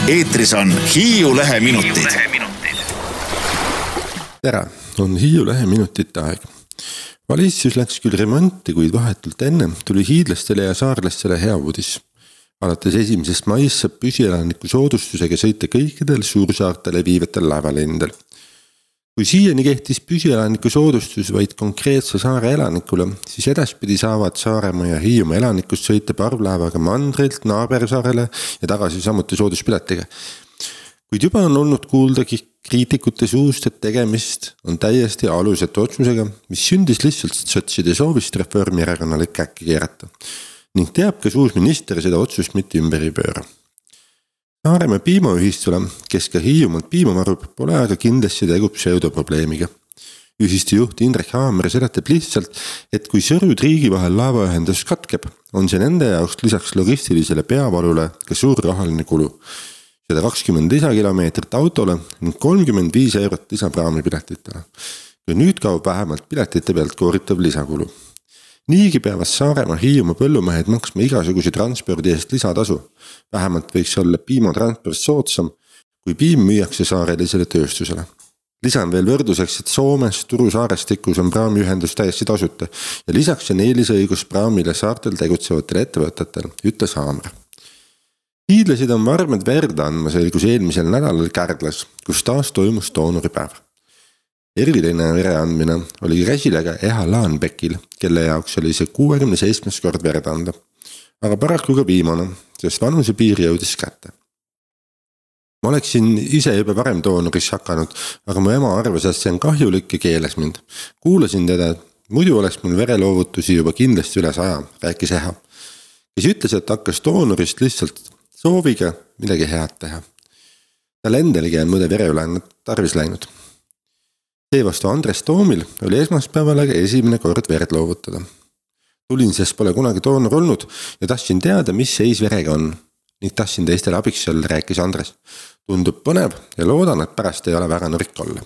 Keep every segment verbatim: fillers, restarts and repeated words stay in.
eetris on Hiiu Lehe minutid. Tere, on Hiiu Lehe minutite aeg. Valitsus läks küll remonti, kuid vahetult enne tuli hiidlastele ja saarlastele hea uudis. Alates esimesest maist saab püsielaniku soodustusega sõita kõikidel suursaartele viivatel laevalendel. Kui siiani kehtis püsielaniku soodustus vaid konkreetse saare elanikule, siis edaspidi saavad Saaremaa ja Hiiumaa elanikust sõita parvlaevaga mandrilt Naabersaarele ja tagasi samuti sooduspiletiga. Kuid juba on olnud kuulda kriitikute suust, et tegemist on täiesti alusetu otsusega, mis sündis lihtsalt sotside soovist Reformierakonnale käkki keerata. Ning teab, kas uus minister seda otsust mitte ümber ei pööra. Saaremaa piimaühistule, kes ka Hiiumaalt piima marub, pole aga kindlasti tegu pseudoprobleemiga. Ühistu juht Indrek Haamer seletab lihtsalt, et kui Sõrud riigi vahel laevaühendus katkeb, on see nende jaoks lisaks logistilisele peavalule ka suur rahaline kulu. sada kakskümmend lisakilomeetrit autole ning kolmkümmend viis eurot lisapraamipiletitele. Ja nüüd kaob vähemalt piletite pealt kooritav lisakulu. Niigi peavad Saaremaa Hiiumaa põllumehed maksma igasuguse transpordi eest lisatasu. Vähemalt võiks olla piimatransport soodsam, kui piim müüakse saarelisele tööstusele. Lisan veel võrduseks, et Soomes Turu saarestikus on praamiühendus täiesti tasuta ja lisaks on eelisõigus praamile saartel tegutsevatel ettevõtetel, ütles Haamer. Hiidlasid on varmed verd andma selgus eelmisel nädalal Kärdlas, kus taas toimus doonoripäev. Eriline vere andmine oli käsilega Eha Laanbekil, kelle jaoks oli see kuuekümne seitsmes kord verd anda. Aga paraku ka viimane, sest vanuse piir jõudis kätte. Ma oleksin ise juba varem doonoris hakanud, aga mu ema arvas, et see on kahjulik ja keeles mind. Kuulasin teda, muidu oleks mul vereloovutusi juba kindlasti üle saja, rääkis Eha. Kes ütles, et hakkas doonorist lihtsalt sooviga midagi head teha. Tal endalgi on mõde vereüle tarvis läinud. Seevastu Andres Toomil oli esmaspäeval aga esimene kord verd loovutada. Tulin, sest pole kunagi doonor olnud ja tahtsin teada, mis seis verega on. Ning tahtsin teistele abiks olla, rääkis Andres. Tundub põnev ja loodan, et pärast ei ole väga nõrk olla.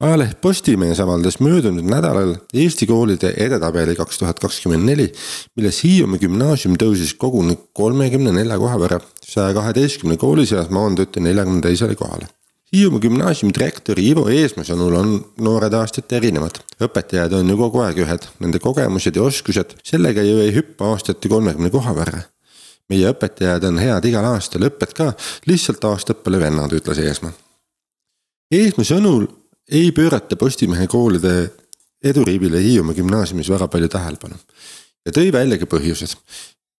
Ajaleht Postimees avaldas möödunud nädalal Eesti koolide edetabeli kaks tuhat kakskümmend neli, milles Hiiumaa gümnaasium tõusis koguni kolmekümne nelja koha võrra, saja kaheteistkümne kooli seas maanduti neljakümne teisele kohale. Hiiumaa gümnaasiumi direktori Ivo Eesma sõnul on noored aastat erinevad. Õpetajad on ju kogu aeg ühed, nende kogemused ja oskused, sellega ju ei hüppa aastati kolmekümne koha võrra. Meie õpetajad on head igal aastal, õpped ka, lihtsalt aastad pole vennad, ütles Eesma. Eesma sõnul ei pöörata Postimehe koolide eduriibile Hiiumaa gümnaasiumis väga palju tähelepanu ja tõi välja ka põhjused.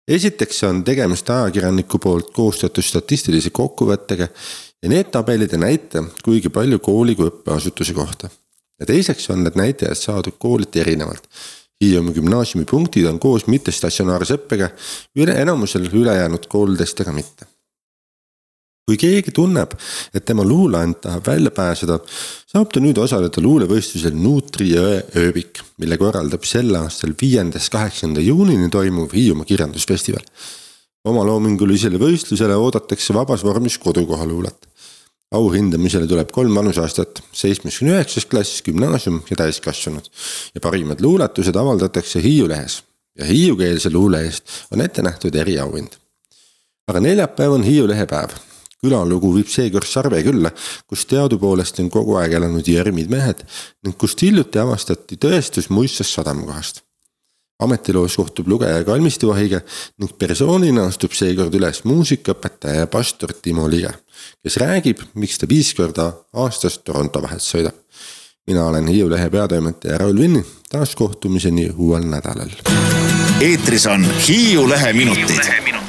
Esiteks on tegemist ajakirjaniku poolt koostatud statistilise kokkuvõttega ja need tabelid ei näita kuigi palju kooli kui õppeasutuse kohta. Ja teiseks on need näitajad saadud kooliti erinevalt. Hiiumaa gümnaasiumi punktid on koos mittestatsionaarse õppega, üle enamusel ülejäänud koolidestega mitte. Kui keegi tunneb, et tema luuleant tahab välja pääseda, saab ta nüüd osaleda luulevõistlusel Nuutri jõe ööbik, mille korraldab sel aastal viiendast kaheksanda juunini toimuv Hiiumaa kirjandusfestival. Oma loomingulisele võistlusele oodatakse vabas vormis kodukoha luulet. Auhindamisele tuleb kolm vanusaastat, seitsmekümne üheksas klass, gümnaasium ja täiskasvanud. Ja parimad luuletused avaldatakse Hiiu lehes ja hiiukeelse luule eest on ette nähtud eriauhind. Aga neljapäev on Hiiu lehe päev. Külalugu viib seekord Sarve külla, kus teadupoolest on kogu aeg elanud järmid mehed ning kust hiljuti avastati tõestus muistsast sadamakohast. Ametiloos kohtub lugeja kalmistuvahiga ning persoonina astub seekord üles muusikaõpetaja ja pastor Timo Lige, kes räägib, miks ta viis korda aastas Toronto vahet sõidab. Mina olen Hiiu lehe peatoimetaja Raul Vinni, taas kohtumiseni uuel nädalal. Eetris on Hiiu Lehe minutid.